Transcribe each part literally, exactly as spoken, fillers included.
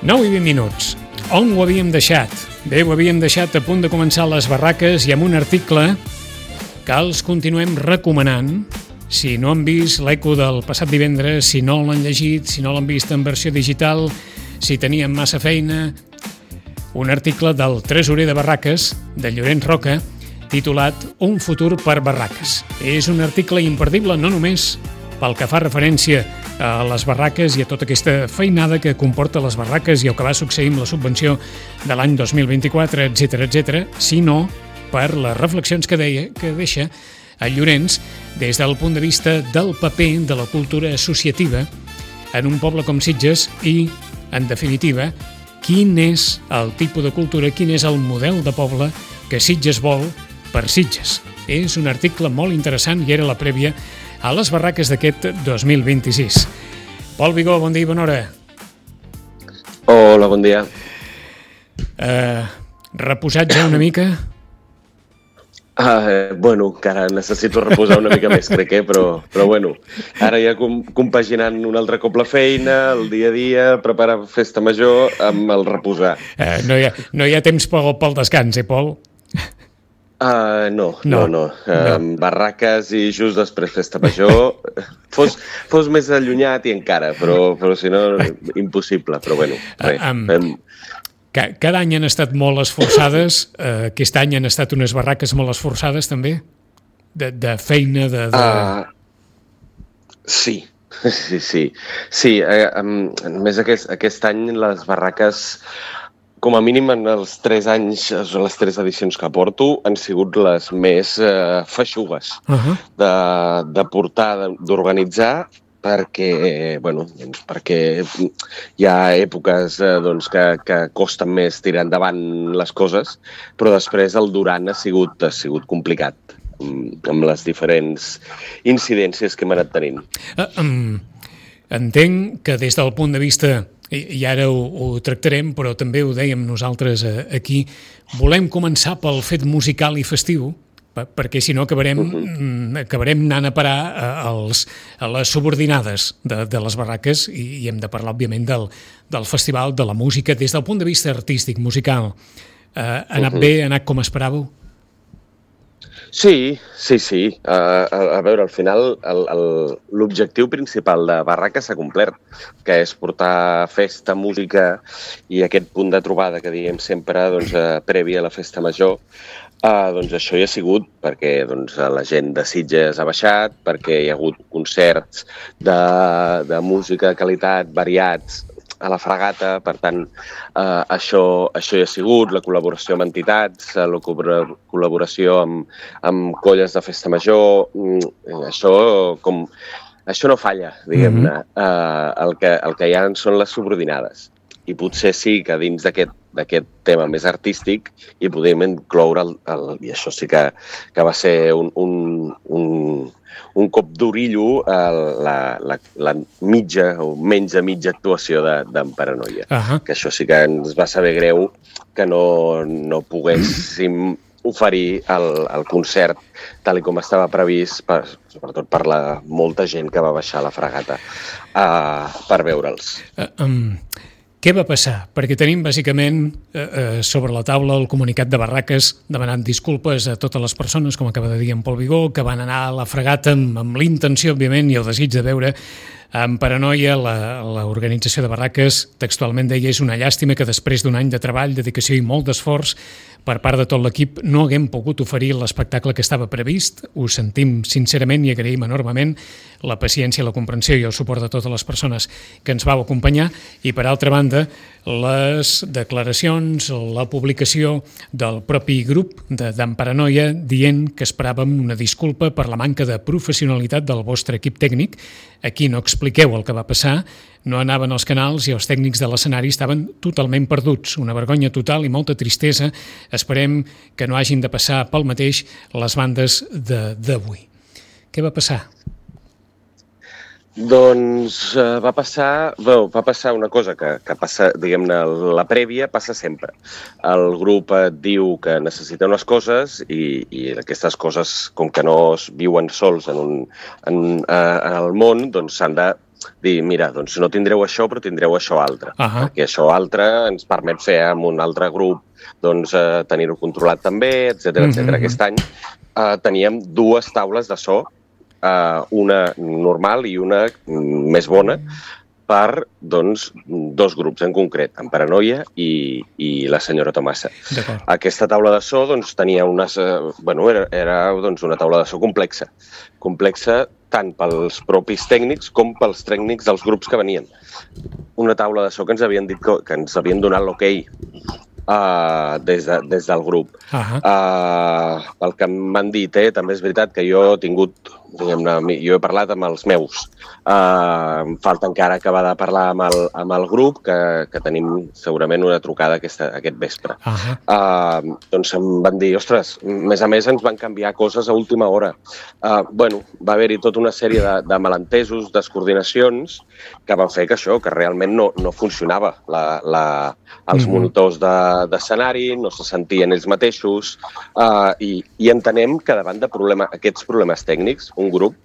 nou i vint minuts. On ho havíem deixat? Bé, ho havíem deixat a punt de començar les barraques i amb un article que els continuem recomanant. Si no han vist l'Eco del passat divendres, si no l'han llegit, si no l'han vist en versió digital, si tenien massa feina, un article del tresorer de Barraques, de Llorenç Roca, titulat Un futur per Barraques. És un article imperdible no només pel que fa referència a les barraques i a tota aquesta feinada que comporta les barraques i el que va succeir amb la subvenció de l'any dos mil vint-i-quatre, etcètera, etcètera, sinó per les reflexions que deia que deixa a Llorenç des del punt de vista del paper de la cultura associativa en un poble com Sitges i, en definitiva, quin és el tipus de cultura, quin és el model de poble que Sitges vol per Sitges. És un article molt interessant i era la prèvia a les barraques d'aquest dos mil vint-i-sis. Pol Vigó, bon dia i bona hora. Hola, bon dia. Uh, reposat ja una mica? Uh, bueno, encara necessito reposar una mica més, crec, eh? però, però bueno, ara ja com, compaginant un altre cop la feina, el dia a dia, preparar festa major amb el reposar. Uh, no, hi ha, no hi ha temps pel, pel descans, eh, Pol? Uh, no, no, no. no. Uh, no. Barraques i just després festa major. Fos, fos més allunyat i encara, però, però si no, impossible. Però bueno, res. Uh, um, um, cada any han estat molt esforçades. Uh, aquest any han estat unes barraques molt esforçades, també? De, de feina, de... de... Uh, sí, sí, sí. Sí, uh, um, més aquest, aquest any les barraques... Com a mínim en els tres anys, les tres edicions que porto, han sigut les més eh, feixugues uh-huh. de, de portar, d'organitzar, perquè, bueno, doncs perquè hi ha èpoques eh, doncs, que, que costen més tirar endavant les coses, però després el durant ha sigut, ha sigut complicat amb les diferents incidències que hem anat tenint. Uh, um, entenc que des del punt de vista... i ara ho, ho tractarem, però també ho dèiem nosaltres aquí, volem començar pel fet musical i festiu, perquè si no acabarem, uh-huh. acabarem anant a parar als, a les subordinades de, de les barraques i, i hem de parlar, òbviament, del, del festival, de la música, des del punt de vista artístic, musical. Uh, ha anat uh-huh. bé, ha anat com esperàveu? Sí, sí, sí. Uh, a, a veure, al final el, el, l'objectiu principal de Barraca s'ha complert, que és portar festa, música i aquest punt de trobada que diem sempre doncs, uh, previ a la festa major. Uh, doncs això hi ha sigut perquè doncs, la gent de Sitges ha baixat, perquè hi ha hagut concerts de, de música de qualitat variats a la Fragata, per tant, eh, això, això hi ha sigut, la col·laboració amb entitats, la col·laboració amb, amb colles de festa major, això, com, això no falla, diguem-ne. Mm-hmm. eh, el, que, el que hi ha són les subordinades. I potser sí que dins d'aquest d'aquest tema més artístic i podem incloure, el, el, i això sí que, que va ser un, un, un, un cop d'orillo, el, la, la, la mitja o menys de mitja actuació d'en Paranoia. Uh-huh. Que això sí que ens va saber greu que no, no poguéssim oferir el, el concert tal com estava previst, per, sobretot per la molta gent que va baixar a la Fragata uh, per veure'ls. Uh, um... Què va passar? Perquè tenim, bàsicament, eh, eh, sobre la taula el comunicat de Barraques demanant disculpes a totes les persones, com acaba de dir en Pol Vigó, que van anar a la Fragata amb, amb l'intenció, òbviament, i el desig de veure amb Paranoia. L'organització de Barraques textualment deia: és una llàstima que després d'un any de treball, dedicació i molt d'esforç per part de tot l'equip no haguem pogut oferir l'espectacle que estava previst. Ho sentim sincerament i agraïm enormement la paciència, la comprensió i el suport de totes les persones que ens vau acompanyar. I, per altra banda, les declaracions, la publicació del propi grup d'en Paranoia dient que esperàvem una disculpa per la manca de professionalitat del vostre equip tècnic. Aquí no expliqueu el que va passar, no anaven als canals i els tècnics de l'escenari estaven totalment perduts. Una vergonya total i molta tristesa. Esperem que no hagin de passar pel mateix les bandes d'avui. Què va passar? Doncs uh, va passar, bueno, va passar una cosa que, que passa, diguem-ne, la prèvia passa sempre. El grup et diu que necessita unes coses i, i aquestes coses, com que no es viuen sols en, un, en, uh, en el món, doncs s'han de dir, mira, doncs no tindreu això, però tindreu això altre. Uh-huh. Perquè això altre ens permet fer amb un altre grup, doncs eh, tenir-ho controlat també, etcètera, etcètera. Uh-huh. Aquest any eh, teníem dues taules de so, eh, una normal i una més bona, per doncs, dos grups en concret, en Paranoia i, i la senyora Tomasa. Aquesta taula de so doncs, tenia unes, eh, bueno, era, era doncs, una taula de so complexa. Complexa tant pels propis tècnics com pels tècnics dels grups que venien. Una taula de so que ens havien dit que, que ens havien donat l'ok uh, des, de, des del grup. Uh-huh. Uh, el que m'han dit, eh, també és veritat que jo he tingut, diguem-ne, jo he parlat amb els meus. Uh, em falta encara acabar de parlar amb el, amb el grup, que, que tenim segurament una trucada aquesta, aquest vespre. Uh-huh. Uh, doncs em van dir, ostres, més a més ens van canviar coses a última hora. Uh, bueno, va haver-hi tota una sèrie de, de malentesos, descoordinacions, que van fer que això, que realment no, no funcionava. La, la, els uh-huh. monitors d'escenari de, no se sentien ells mateixos, uh, i, i entenem que davant de problema, aquests problemes tècnics, un grup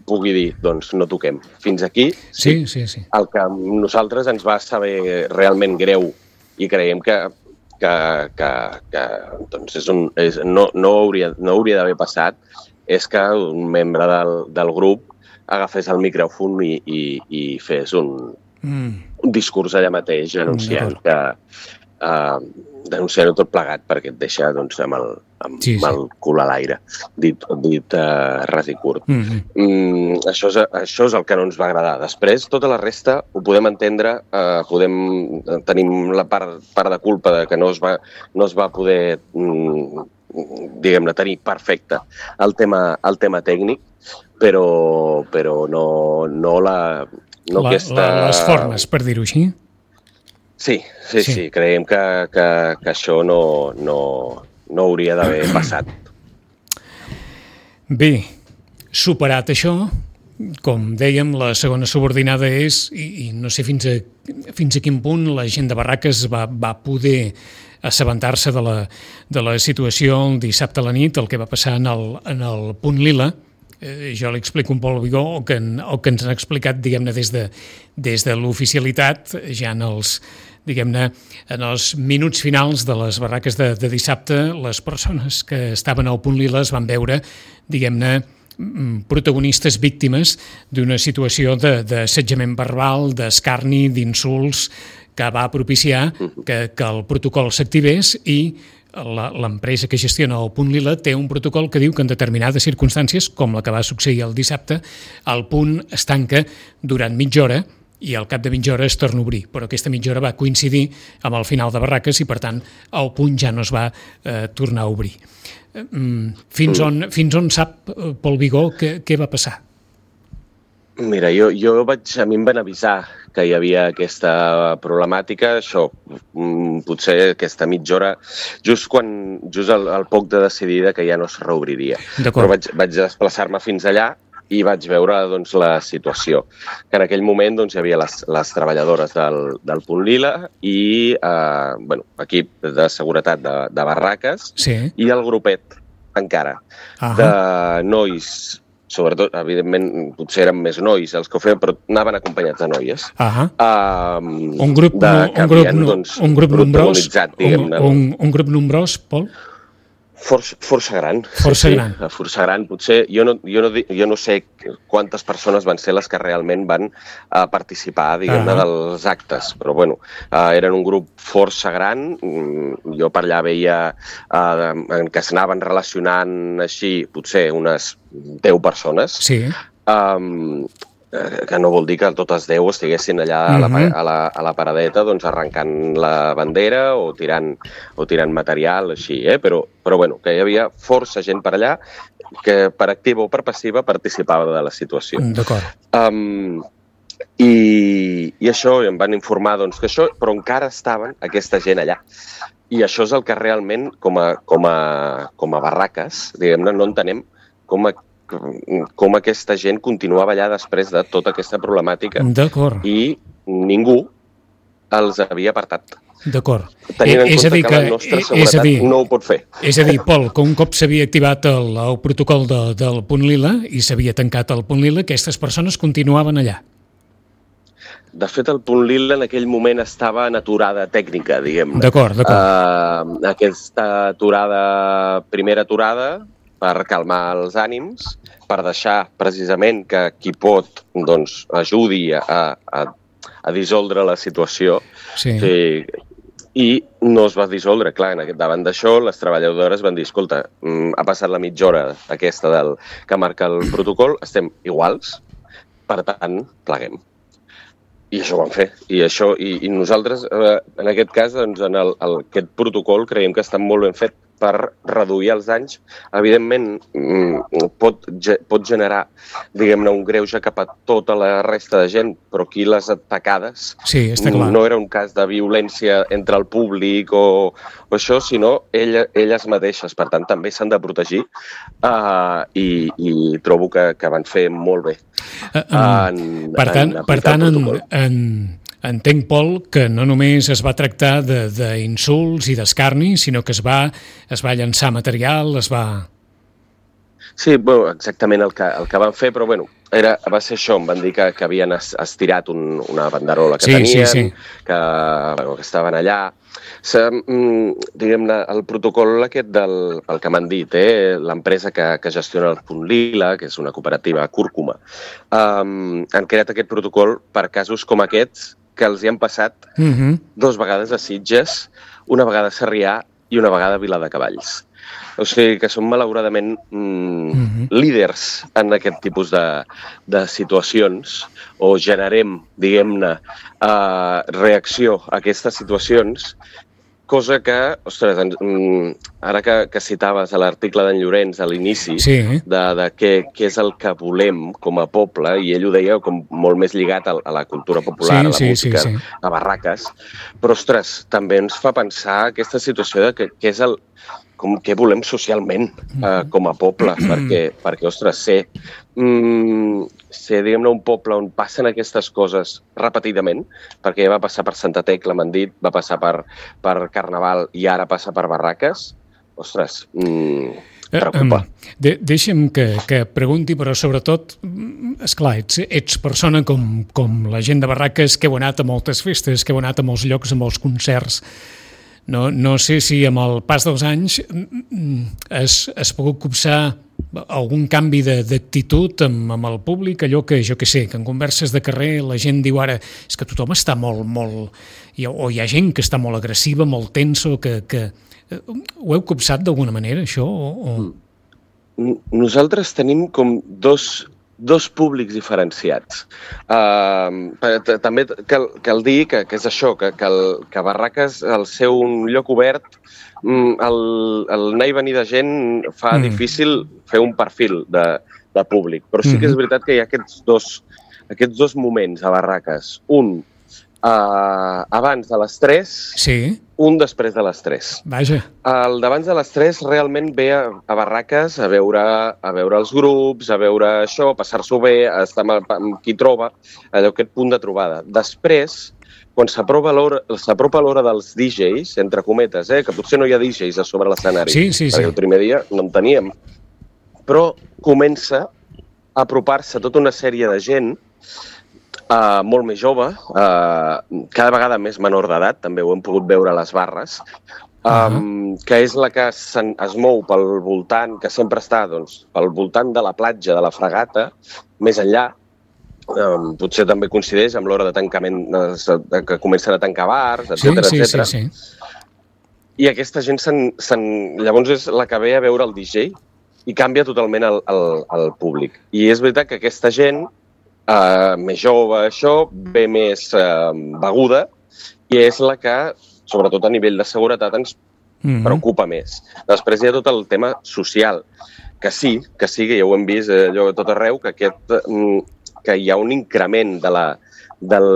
pugui dir, doncs no toquem. Fins aquí, sí, sí, sí. El que a nosaltres ens va saber realment greu i creiem que, que, que, que doncs és un, és, no, no hauria, no hauria d'haver passat, és que un membre del, del grup agafés el micròfon i, i, i fes un, mm. un discurs allà mateix anunciant que uh, denunciant-ho tot plegat perquè et deixa doncs, amb, el, amb, sí, sí. amb el cul a l'aire, dit, dit uh, ras i curt. Mm-hmm. Mm, això, és, això és el que no ens va agradar. Després, tota la resta ho podem entendre, uh, podem, tenim la part, part de culpa de que no es va, no es va poder mm, diguem-ne, tenir perfecte el tema, el tema tècnic, però, però no, no la... No la, aquesta... la les formes, per dir-ho així. Sí, sí, sí, sí. Creiem que, que, que això no, no, no hauria d'haver passat. Bé, superat això, com dèiem, la segona subordinada és, i, i no sé fins a, fins a quin punt la gent de Barraques va, va poder assabentar-se de la, de la situació el dissabte a la nit, el que va passar en el, en el Punt Lila. Eh, jo li explico un Pol Vigó, o que, o que ens han explicat, diguem-ne, des de, des de l'oficialitat, ja en els, diguem-ne, en els minuts finals de les barraques de, de dissabte, les persones que estaven al Punt Lila es van veure, diguem-ne, protagonistes víctimes d'una situació d'assetjament verbal, d'escarni, d'insults, que va propiciar que, que el protocol s'activés i l'empresa que gestiona el Punt Lila té un protocol que diu que en determinades circumstàncies, com la que va succeir el dissabte, el punt es tanca durant mitja hora i al cap de mitja hora es torna a obrir. Però aquesta mitja hora va coincidir amb el final de barraques i, per tant, el punt ja no es va eh, tornar a obrir. Fins on, fins on sap, Pol Vigó, què, què va passar? Mira, jo, jo vaig, a mi em van avisar que hi havia aquesta problemàtica, això, potser aquesta mitja hora, just quan, just al, al poc de decidir que ja no es reobriria. Però vaig, vaig desplaçar-me fins allà i vaig veure doncs, la situació. Que en aquell moment doncs, hi havia les, les treballadores del, del Punt Lila i eh, bueno, equip de seguretat de, de barraques, sí. I el grupet encara, uh-huh. de nois, sobretot, evidentment, potser eren més nois els que ho feien, però anaven acompanyats de noies. Uh-huh. uh, un grup, de, un, grup, havien, doncs, un grup nombrós, un, un, un grup nombrós, Pol? Força, força gran. Força sí, gran. Sí, força gran. Potser, jo no, jo, no, jo no sé quantes persones van ser les que realment van uh, participar, diguem-ne, uh-huh. dels actes, però bueno, uh, eren un grup força gran. Jo per allà veia uh, que s'anaven relacionant així, potser unes deu persones. Sí. Um, que no vol dir que totes deu estiguessin allà a la, a la, a la paradeta doncs arrencant la bandera o tirant, o tirant material, així, eh? Però, però bueno, que hi havia força gent per allà que per activa o per passiva participava de la situació. D'acord. Um, i, I això, em van informar doncs, que això, però encara estaven aquesta gent allà. I això és el que realment, com a, com a, com a barraques, diguem-ne, no entenem com a com aquesta gent continuava allà després de tota aquesta problemàtica. D'acord. I ningú els havia apartat. D'acord. Tenint en compte que la nostra seguretat dir, no ho pot fer. És a dir, Pol, que un cop s'havia activat el, el protocol de, del Punt Lila i s'havia tancat el Punt Lila, aquestes persones continuaven allà. de fet, el Punt Lila en aquell moment estava en aturada tècnica, diguem-ne. D'acord, d'acord. Uh, aquesta aturada, primera aturada, per calmar els ànims, per deixar precisament que qui pot doncs, ajudi a, a, a dissoldre la situació. Sí. Sí. I no es va dissoldre. Clar, davant d'això, les treballadores van dir, escolta, ha passat la mitja hora aquesta del, que marca el protocol, estem iguals, per tant, pleguem. I això ho vam fer. I, això, i, i nosaltres, eh, en aquest cas, doncs, en el, el, aquest protocol creiem que està molt ben fet per reduir els danys. Evidentment, pot, pot generar, diguem-ne, un greuge cap a tota la resta de gent, però aquí les atacades sí, està clar. No era un cas de violència entre el públic o, o això, sinó ella, elles mateixes. Per tant, també s'han de protegir uh, i, i trobo que, que van fer molt bé. Uh, um, en, per tant, en per tant en, en, entenc, Pol, que no només es va tractar d'insults i d'escarni, sinó que es va, es va llançar material, es va... Sí, bueno, exactament el que, el que van fer, però bueno, era, va ser això, em van dir que, que havien estirat un, una banderola que sí, tenien, sí, sí. Que, bueno, que estaven allà. Diguem-ne, el protocol aquest del el que m'han dit, eh, l'empresa que, que gestiona el Punt Lila, que és una cooperativa cúrcuma, um, han creat aquest protocol per casos com aquests que els hi han passat uh-huh. dos vegades a Sitges, una vegada a Sarrià i una vegada a Viladecavalls. O sigui que som malauradament mm, uh-huh. líders en aquest tipus de, de situacions o generem, diguem-ne, uh, reacció a aquestes situacions, cosa que, ostres, ara que, que citaves a l'article d'en Llorenç a l'inici, sí. de, de què, què és el que volem com a poble, i ell ho deia com molt més lligat a, a la cultura popular, sí, a la sí, música, sí, sí. a barraques, però, ostres, també ens fa pensar aquesta situació de que, que és el com què volem socialment eh, com a poble, perquè, perquè ostres, ser, mm, ser diguem-ne, un poble on passen aquestes coses repetidament, perquè ja va passar per Santa Tecla, m'han dit, va passar per, per Carnaval i ara passa per Barraques, ostres, mm, preocupa. De, deixa'm que, que pregunti, però sobretot, esclar, ets, ets persona com, com la gent de Barraques que heu anat a moltes festes, que heu anat a molts llocs, a molts concerts. No, no sé si amb el pas dels anys has, has pogut copsar algun canvi d'actitud amb, amb el públic, allò que, jo què sé, que en converses de carrer la gent diu ara és que tothom està molt, molt... o hi ha gent que està molt agressiva, molt tenso, que... que ho heu copsat d'alguna manera, això? O, o... Nosaltres tenim com dos... dos públics diferenciats. Uh, també cal, cal dir que, que és això, que, que, el, que Barraques, al ser un lloc obert, el, el anar i venir de gent fa mm. difícil fer un perfil de, de públic. Però sí que és veritat que hi ha aquests dos, aquests dos moments a Barraques. Un uh, abans de les tres, sí. un després de les tres. Vaja. El d'abans de les tres realment ve a, a Barraques a veure, a veure els grups, a veure això, a passar-s'ho bé, a estar amb, amb qui troba, allò, aquest punt de trobada. Després, quan s'apropa l'hora dels D Js, entre cometes, eh, que potser no hi ha D Js a sobre l'escenari, sí, sí, perquè sí. el primer dia no en teníem, però comença a apropar-se tota una sèrie de gent Uh, molt més jove, uh, cada vegada més menor d'edat, també ho hem pogut veure a les barres, um, uh-huh. que és la que es mou pel voltant, que sempre està doncs, pel voltant de la platja, de la Fragata, més enllà. Um, potser també coincideix amb l'hora de tancament, de, que comencen a tancar bars, etcètera, sí, sí, etcètera. Sí, sí. I aquesta gent, sen, sen, llavors és la que ve a veure el D J i canvia totalment el, el, el públic. I és veritat que aquesta gent Uh, més jove, això, ve més uh, beguda i és la que, sobretot a nivell de seguretat, ens mm-hmm. preocupa més. Després hi ha tot el tema social, que sí, que sí, que ja ho hem vist eh, allò tot arreu, que, aquest, mm, que hi ha un increment de la, del,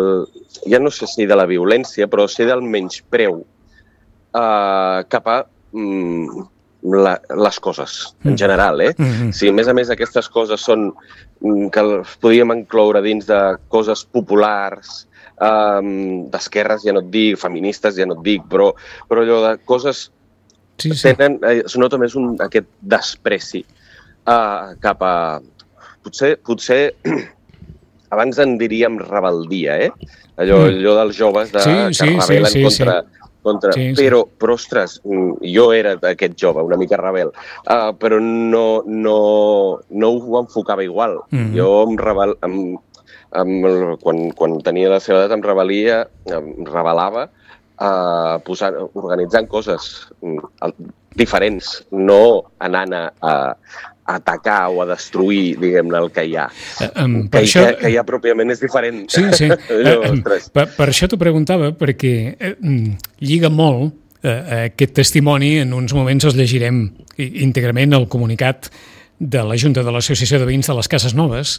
ja no sé si de la violència, però sí del menyspreu uh, cap a... Mm, La, les coses, en general, eh? Mm-hmm. Si, a més a més, aquestes coses són que podríem incloure dins de coses populars, um, d'esquerres, ja no et dic, feministes, ja no et dic, però, però allò de coses sí, sí. tenen, es nota més un, aquest despreci uh, cap a... Potser, potser abans en diríem rebeldia, eh? Allò, Mm. allò dels joves de, Sí, que sí, es sí, rebel·len sí, contra... sí. contra... Sí, sí. Però, però, ostres, mm, jo era aquest jove, una mica rebel, uh, però no, no, no ho enfocava igual. Mhm. Jo em rebel... Em, em, quan, quan tenia la seva edat em rebel·lia, em rebel·lava uh, posant, organitzant coses mm, el- diferents, no anant a, a atacar o a destruir, diguem-ne, el que hi ha. Eh, em, Que, per hi- això- que, que hi ha pròpiament és diferent. Sí, sí. Allò, Eh, em, ostres. per, per això t'ho preguntava, perquè eh, mm, lliga molt eh, aquest testimoni. En uns moments els llegirem í- íntegrament el comunicat de la Junta de l'Associació de Veïns de les Cases Noves,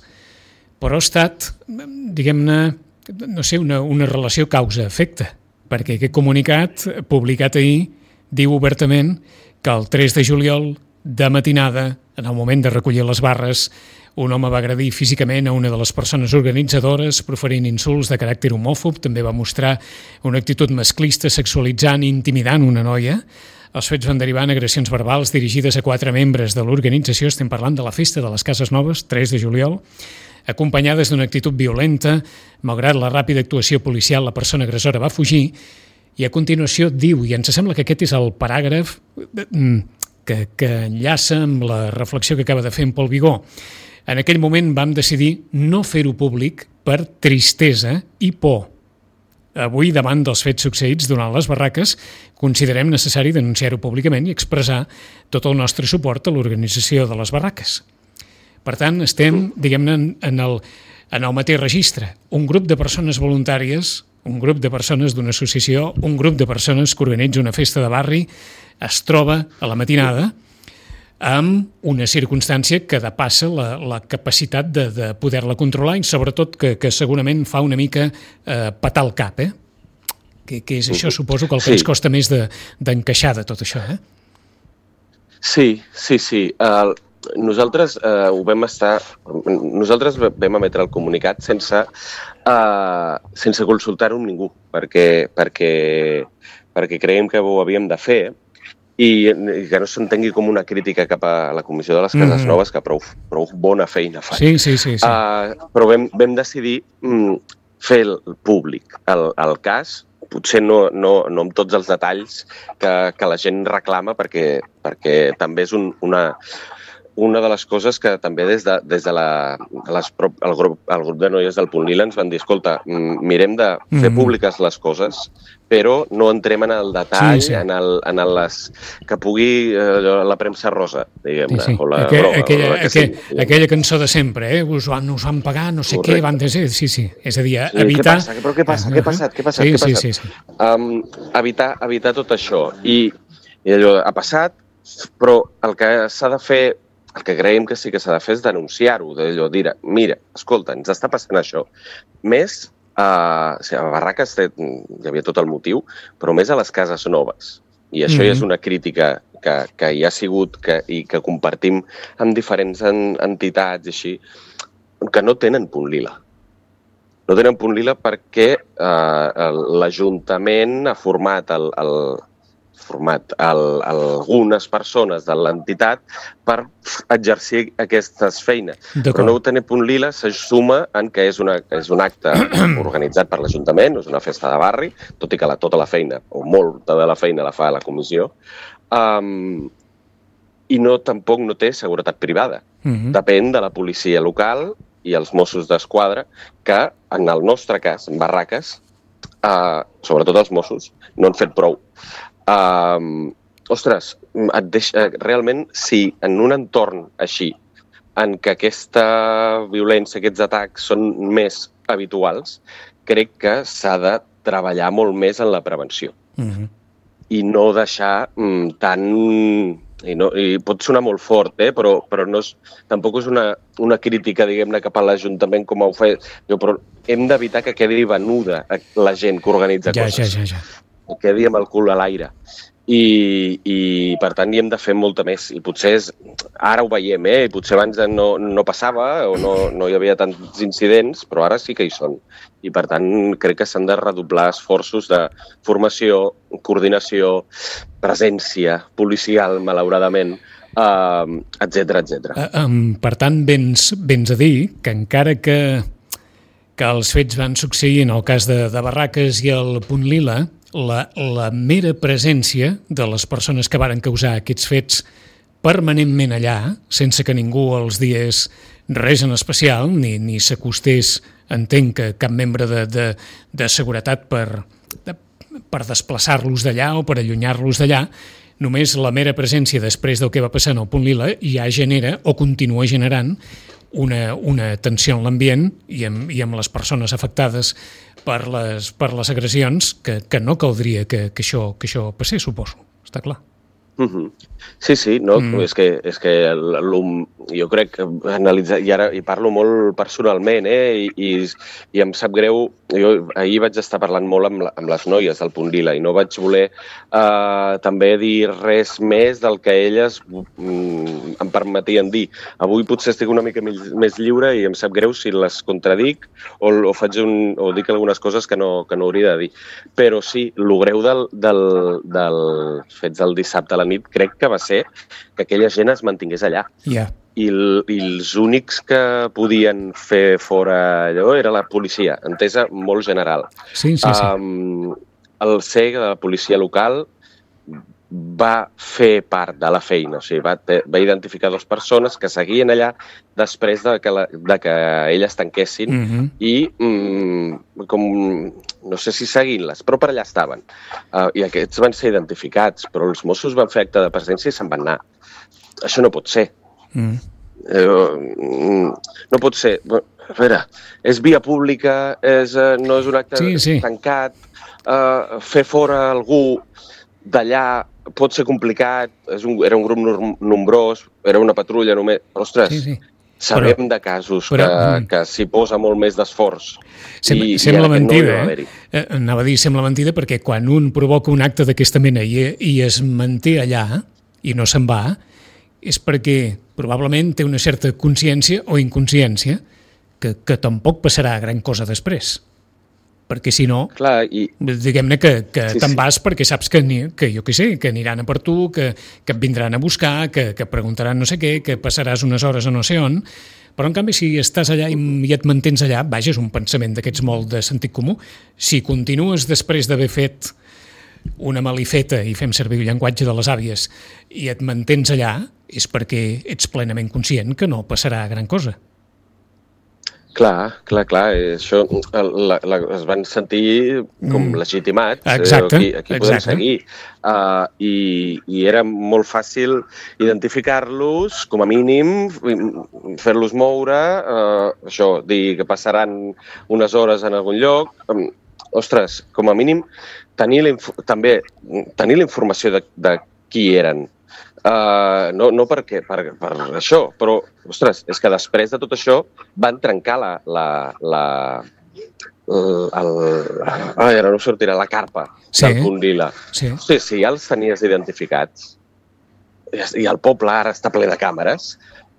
però ha estat, diguem-ne, no sé, una, una relació causa-efecte, perquè aquest comunicat publicat ahir diu obertament que el tres de juliol, de matinada, en el moment de recollir les barres, un home va agredir físicament a una de les persones organitzadores, proferint insults de caràcter homòfob, també va mostrar una actitud masclista, sexualitzant i intimidant una noia. Els fets van derivar en agressions verbals dirigides a quatre membres de l'organització, estem parlant de la Festa de les Cases Noves, tres de juliol, acompanyades d'una actitud violenta. Malgrat la ràpida actuació policial, la persona agressora va fugir i a continuació diu, i ens sembla que aquest és el paràgraf que, que enllaça amb la reflexió que acaba de fer en Pol Vigó. En aquell moment vam decidir no fer-ho públic per tristesa i por. Avui, davant dels fets succeïts durant les barraques, considerem necessari denunciar-ho públicament i expressar tot el nostre suport a l'organització de les barraques. Per tant, estem, diguem-ne, en, en, el, en el mateix registre. Un grup de persones voluntàries, un grup de persones d'una associació, un grup de persones que organitza una festa de barri, es troba a la matinada amb una circumstància que depassa la, la capacitat de, de poder-la controlar i sobretot que, que segurament fa una mica eh, patar el cap, eh? Que, que és això, suposo, que el que Sí. ens costa més de, d'encaixar de tot això, eh? Sí, sí, sí. Uh, nosaltres uh, ho vam estar... Nosaltres vam emetre el comunicat sense, uh, sense consultar-ho amb ningú, perquè, perquè, perquè creiem que ho havíem de fer i, i que no s'entengui com una crítica cap a la Comissió de les Cases Mhm. Noves, que prou, prou bona feina fa. Sí, sí, sí. sí. Uh, però vam, vam decidir mm, fer el públic el, el cas, potser no, no, no amb tots els detalls que, que la gent reclama, perquè, perquè també és un, una, una de les coses que també des de, des de la, les, el, grup, el grup de noies del Punt Lila ens van dir, escolta, mm, mirem de fer Mhm. públiques les coses, però no entrem en el detall, Sí, sí. en, el, en el les, que pugui eh, la premsa rosa, diguem-ne, Sí, sí. o la Aquella, groga, aquella, o la que aquella, sigui. aquella cançó de sempre, eh? Us van, us van pagar, no sé Correcte. què, van de ser... Sí, sí, és a dir, Sí, evitar... Què passa? Però què passa? Què ha passat? Què ha passat? Sí, Què ha sí, passat? sí, sí. Um, evitar, evitar tot això. I, I allò ha passat, però el que s'ha de fer, el que creiem que sí que s'ha de fer és denunciar-ho, d'allò, dir, mira, escolta, ens està passant això. Més, uh, o sigui, a Barraques té, hi havia tot el motiu, però més a les cases noves. I això Mhm. ja és una crítica que, que hi ha sigut que, i que compartim amb diferents en, entitats i així, que no tenen punt lila. No tenen punt lila perquè eh, l'Ajuntament ha format, el, el, format el, algunes persones de l'entitat per exercir aquestes feines. Però no tenir punt lila se suma en que és, una, és un acte organitzat per l'Ajuntament, és una festa de barri, tot i que la, tota la feina, o molta de la feina la fa la comissió, um, i no, tampoc no té seguretat privada. Mhm. Depèn de la policia local i els Mossos d'Esquadra, que en el nostre cas, en Barraques, eh, sobretot els Mossos, no han fet prou. Eh, ostres, et deixa, realment, si en un entorn així, en què aquesta violència, aquests atacs són més habituals, crec que s'ha de treballar molt més en la prevenció. Mhm. I no deixar mm, tan... I, no, i pot sonar molt fort, eh? però, però no és, tampoc és una, una crítica, diguem-ne, cap a l'Ajuntament com ho fa. Jo, però hem d'evitar que quedi venuda la gent que organitza Ja, coses. ja, ja, ja. Que quedi amb el cul a l'aire. I, i per tant hi hem de fer molta més. I potser és, ara ho veiem, eh? I potser abans no, no passava o no, no hi havia tants incidents, però ara sí que hi són. I per tant crec que s'han de redoblar esforços de formació, coordinació, presència policial, malauradament, eh, etcètera, etcètera. Eh, um, per tant, vens, vens a dir que encara que que els fets van succeir en el cas de, de Barraques i el Punt Lila, la, la mera presència de les persones que varen causar aquests fets permanentment allà, sense que ningú els digués res en especial, ni, ni s'acostés, entenc que cap membre de, de, de seguretat per, de, per desplaçar-los d'allà o per allunyar-los d'allà, només la mera presència després del que va passar en el Punt Lila ja genera o continua generant una, una tensió en l'ambient i amb, i amb les persones afectades per les, per les agressions que, que no caldria que, que, això, que això passés, suposo. Està clar. Uh-huh. Sí, sí, no, mm. és que, és que jo crec que analitzar, i ara hi parlo molt personalment, eh, i, i, i em sap greu, jo ahir vaig estar parlant molt amb, la, amb les noies del Punt Lila i no vaig voler eh, també dir res més del que elles mm, em permetien dir. Avui potser estic una mica més, més lliure i em sap greu si les contradic o, o, faig un, o dic algunes coses que no, que no hauria de dir. Però sí, el greu del, del, del fets del dissabte a la nit crec que va ser que aquella gent es mantingués allà. Yeah. I, el, I els únics que podien fer fora allò era la policia, entesa molt general. Sí, sí, sí. Um, el C E G de la policia local va fer part de la feina, o sigui, va, va identificar dues persones que seguien allà després de que, la, de que elles tanquessin mm-hmm. i mm, com, no sé si seguint-les, però per allà estaven. Uh, I aquests van ser identificats, però els Mossos van fer acte de presència i se'n van anar. Això no pot ser. Mm. Uh, no pot ser. A veure, és via pública, és, uh, no és un acte sí, sí. tancat, uh, fer fora algú d'allà pot ser complicat, és un, era un grup nombrós, era una patrulla només, però, ostres, sí, sí. sabem però, de casos però, que, que s'hi posa molt més d'esforç. Sem, i, sembla i mentida, no eh? Anava a dir, sembla mentida, perquè quan un provoca un acte d'aquesta mena i, i es manté allà i no se'n va, és perquè probablement té una certa consciència o inconsciència que, que tampoc passarà gran cosa després. Perquè si no, clar, i... diguem-ne que, que sí, te'n vas sí. perquè saps que, que jo què sé, que aniran a per tu, que, que et vindran a buscar, que, que preguntaran no sé què, que passaràs unes hores a no sé on, però en canvi si estàs allà i, i et mantens allà, vaja, és un pensament d'aquests molt de sentit comú. Si continues després d'haver fet una malifeta, i fem servir el llenguatge de les àvies, i et mantens allà, és perquè ets plenament conscient que no passarà gran cosa. Clar, clar, clar, això la, la, es van sentir com mm. legitimats, exacte, eh, aquí, aquí podem exacte. seguir, uh, i, i era molt fàcil identificar-los, com a mínim, fer-los moure, uh, això, dir que passaran unes hores en algun lloc, um, ostres, com a mínim, tenir la, també tenir la informació de, de qui eren. Uh, no, no perquè, per, per això, però, ostres, és que després de tot això van trencar la, la, la, el, el, ai, ara no sortirà, la carpa sí. del Punt Lila. Sí. Sí, sí, ja els tenies identificats i el poble ara està ple de càmeres.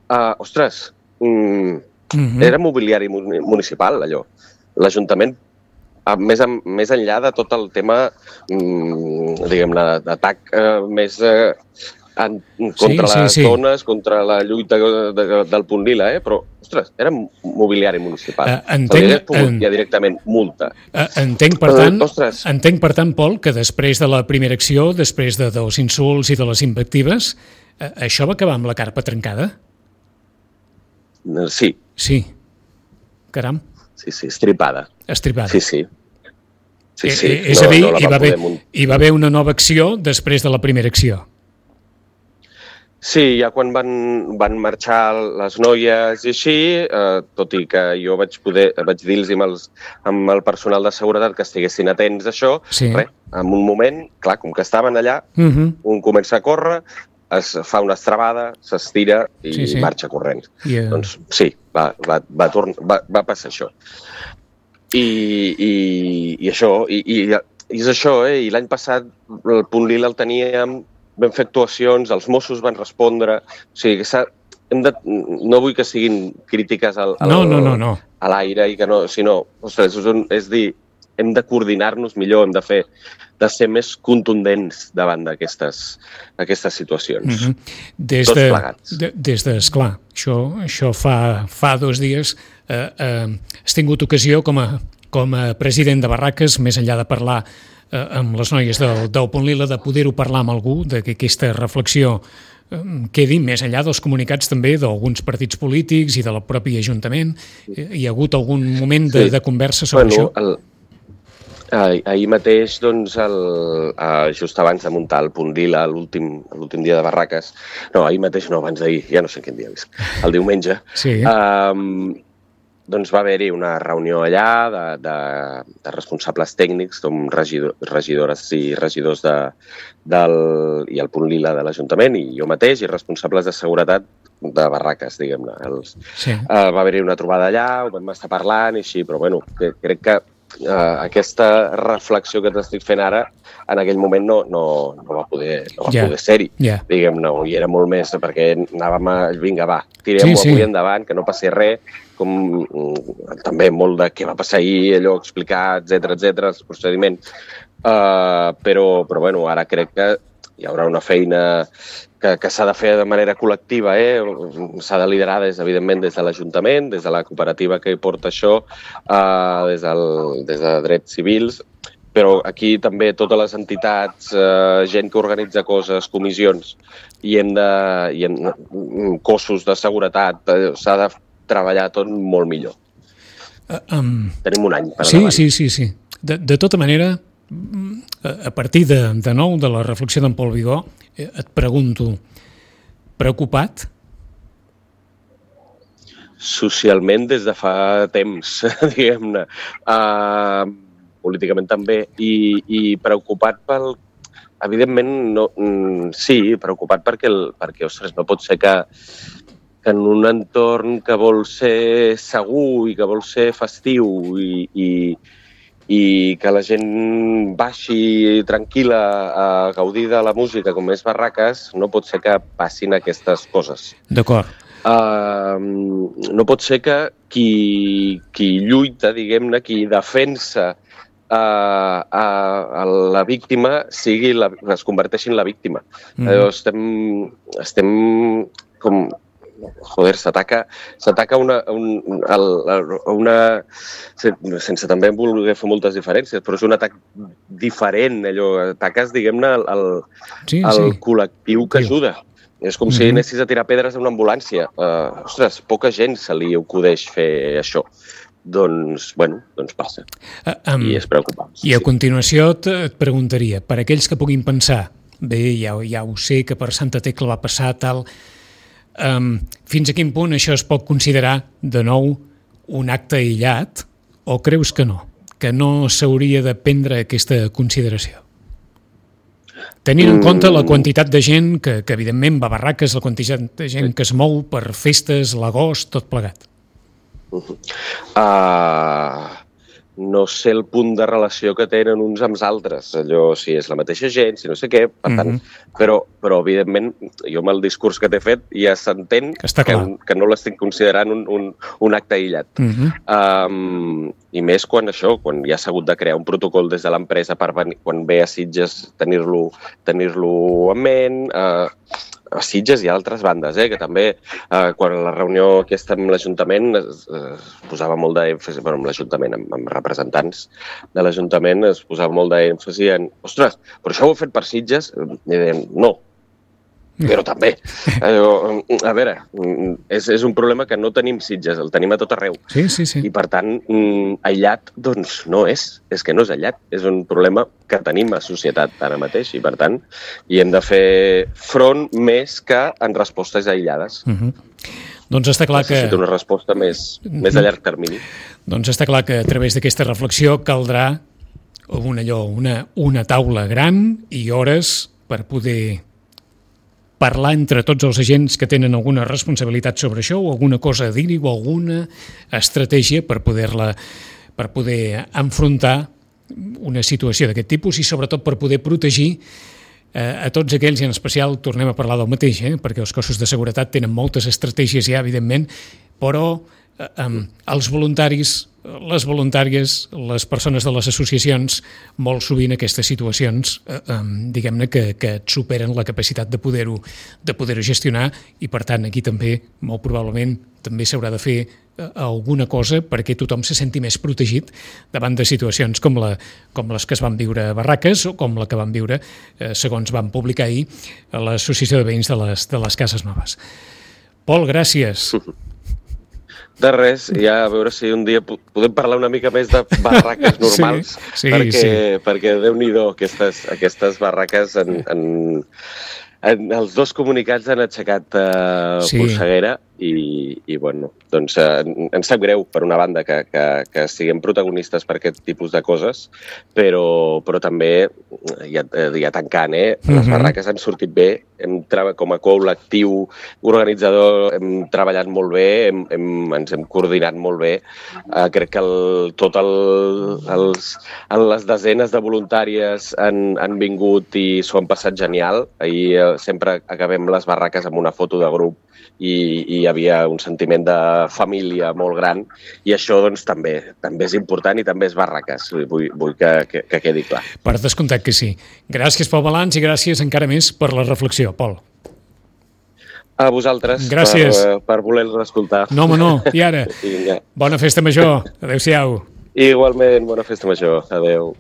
Uh, ostres, mm, mm-hmm. era mobiliari municipal, allò. L'Ajuntament, més, en, més enllà de tot el tema, mm, diguem-ne, d'atac eh, més... Eh, En, contra sí, les sí, sí. dones, contra la lluita de, de, del Punt Lila, eh? Però, ostres, era mobiliari municipal. Uh, entenc, pogut en... ja directament multa. Uh, entenc, per tant, uh, entenc, per tant, Pol, que després de la primera acció, després de, dels insults i de les invectives, uh, això va acabar amb la carpa trencada? Uh, sí. Sí. Caram. Sí, sí, estripada. Estripada. Sí, sí. sí, sí. Eh, és no, a dir, no hi, va haver, hi va haver una nova acció després de la primera acció. Sí, ja quan van, van marxar les noies i així, eh, tot i que jo vaig poder vaig dir-los amb, els, amb el personal de seguretat que estiguessin atents a això, sí. res, en un moment, clar, com que estaven allà, uh-huh. un comença a córrer, es fa una estrabada, s'estira i sí, sí. marxa corrents. Yeah. Doncs sí, va, va, va, torn, va, va passar això. I, i, i això, i, i, i és això, eh? I l'any passat el Punt Lila el teníem, vam fer actuacions, els Mossos van respondre, o sigui, hem de, no vull que siguin crítiques al, al, no, no, no, no. a l'aire, i que no, sinó, ostres, és, un, és dir, hem de coordinar-nos millor, hem de fer de ser més contundents davant d'aquestes aquestes situacions. Mm-hmm. Des Tots de, plegats. De, des de, esclar, això, això fa, fa dos dies eh, eh, has tingut ocasió com a, com a president de Barraques, més enllà de parlar eh, amb les noies del, del Punt Lila, de poder-ho parlar amb algú, de que aquesta reflexió eh, quedi més enllà dels comunicats també d'alguns partits polítics i del propi Ajuntament. Eh, hi ha hagut algun moment de, sí. de conversa sobre bueno, això? El... Ah, ahir mateix, doncs, el, uh, just abans de muntar el Punt Lila, l'últim l'últim dia de Barraques, no, ahir mateix no, abans d'ahir, ja no sé quin dia és, el diumenge, sí. um, doncs va haver-hi una reunió allà de, de, de responsables tècnics, com regidor, regidores i regidors de, del, i el Punt Lila de l'Ajuntament, i jo mateix, i responsables de seguretat de Barraques, diguem-ne. Els, sí. uh, va haver-hi una trobada allà, ho vam estar parlant i així, però bueno, que, crec que Uh, aquesta reflexió que t'estic fent ara, en aquell moment no, no, no va poder, no va yeah. poder ser-hi. Yeah. Diguem-ne, i era molt més perquè anàvem a, vinga, va, tirem-ho sí, sí. avui endavant, que no passi res, com mm, també molt de què va passar ahir, allò explicar, etcètera, etcètera, els procediments. Uh, però, però, bueno, ara crec que hi haurà una feina que, que s'ha de fer de manera col·lectiva, eh? S'ha de liderar, des, evidentment, des de l'Ajuntament, des de la cooperativa que porta això, eh, des, del, des de drets civils, però aquí també totes les entitats, eh, gent que organitza coses, comissions, i hem de, i hem, cossos de seguretat, eh, s'ha de treballar tot molt millor. Uh, um... Tenim un any per sí, davant. Sí, sí, sí. De, de tota manera, a partir de, de nou de la reflexió d'en Pol Vigó, et pregunto, preocupat? Socialment des de fa temps, diguem-ne. Uh, políticament també. I, i preocupat pel... Evidentment, no, sí, preocupat perquè, el, perquè ostres, no pot ser que, que en un entorn que vol ser segur i que vol ser festiu i, i i que la gent baixi tranquil·la a gaudir de la música com és Barraques, no pot ser que passin aquestes coses. D'acord. Uh, no pot ser que qui, qui lluita, diguem-ne, qui defensa uh, a, a la víctima sigui la, es converteixi en la víctima. Mm. Uh, estem, estem com... Joder, s'ataca s'ataca una, un, el, una... sense també voler fer moltes diferències, però és un atac diferent, allò, ataques, diguem-ne, el, el, sí, el sí. col·lectiu que ajuda. És com mm-hmm. si anessis a tirar pedres a una ambulància. Uh, ostres, poca gent se li acudeix fer això. Doncs, bueno, doncs passa. Uh, um, I és preocupant. I a sí. continuació et, et preguntaria, per aquells que puguin pensar, bé, ja, ja ho sé que per Santa Tecla va passar tal... Um, fins a quin punt això es pot considerar de nou un acte aïllat o creus que no? Que no s'hauria de prendre aquesta consideració? Tenint en compte la quantitat de gent que, que evidentment va a Barraques, la quantitat de gent que es mou per festes, l'agost, tot plegat. Uh, no sé el punt de relació que tenen uns amb els altres, allò, si és la mateixa gent, si no sé què, per tant, mm-hmm. però, però evidentment, jo amb el discurs que t'he fet ja s'entén que, que, que no l'estic considerant un, un, un acte aïllat. Mm-hmm. Um, I més quan això, quan ja s'ha hagut de crear un protocol des de l'empresa per venir, quan ve a Sitges tenir-lo tenir-lo en ment, uh, a Sitges i a altres bandes, eh, que també, eh, quan la reunió aquesta amb l'Ajuntament es, es posava molt d'èmfasi, bueno, amb l'Ajuntament, amb, amb representants de l'Ajuntament, es posava molt d'èmfasi en, ostres, però això ho heu fet per Sitges? I deien, no, però també. A veure, és, és un problema que no tenim Sitges, el tenim a tot arreu. Sí, sí, sí. I per tant, aïllat, doncs no és, és que no és aïllat, és un problema que tenim a societat ara mateix i per tant hi hem de fer front més que en respostes aïllades. Uh-huh. Doncs està clar que... Necessita una resposta més, uh-huh. més a llarg termini. Doncs està clar que a través d'aquesta reflexió caldrà una, allò, una, una taula gran i hores per poder parlar entre tots els agents que tenen alguna responsabilitat sobre això o alguna cosa a dir-hi o alguna estratègia per poder-la per poder enfrontar una situació d'aquest tipus i sobretot per poder protegir eh, a tots aquells, i en especial tornem a parlar del mateix, eh, perquè els cossos de seguretat tenen moltes estratègies ja, evidentment, però eh, els voluntaris, les voluntàries, les persones de les associacions, molt sovint aquestes situacions, eh, eh, diguem-ne, que, que et superen la capacitat de poder-ho de poder-ho gestionar i, per tant, aquí també, molt probablement, també s'haurà de fer eh, alguna cosa perquè tothom se senti més protegit davant de situacions com, la, com les que es van viure a Barraques o com la que van viure, eh, segons van publicar ahir, a l'Associació de Veïns de les, de les Cases Noves. Pol, gràcies. De res, ja a veure si un dia podem parlar una mica més de barraques normals, sí, sí, perquè, sí. perquè Déu-n'hi-do, aquestes, aquestes barraques en, en, en els dos comunicats han aixecat uh, sí. polseguera i, i bueno, doncs uh, ens sap greu, per una banda, que, que, que siguem protagonistes per aquest tipus de coses, però, però també, ja, ja tancant, eh, les uh-huh. barraques han sortit bé, hem com a col·lectiu organitzador hem treballat molt bé, hem, hem, ens hem coordinat molt bé. Uh, crec que el, tot el, els, les desenes de voluntàries han, han vingut i s'ho han passat genial. Ahir uh, sempre acabem les barraques amb una foto de grup i, i hi havia un sentiment de família molt gran i això doncs també també és important i també és barraques. Vull, vull que, que, que quedi clar. Per descomptat que sí. Gràcies pel balanç i gràcies encara més per la reflexió, Pol. A vosaltres gràcies. per, per voler-nos escoltar. No, home, no. I ara, bona festa major. Adéu-siau. Igualment, bona festa major. Adéu.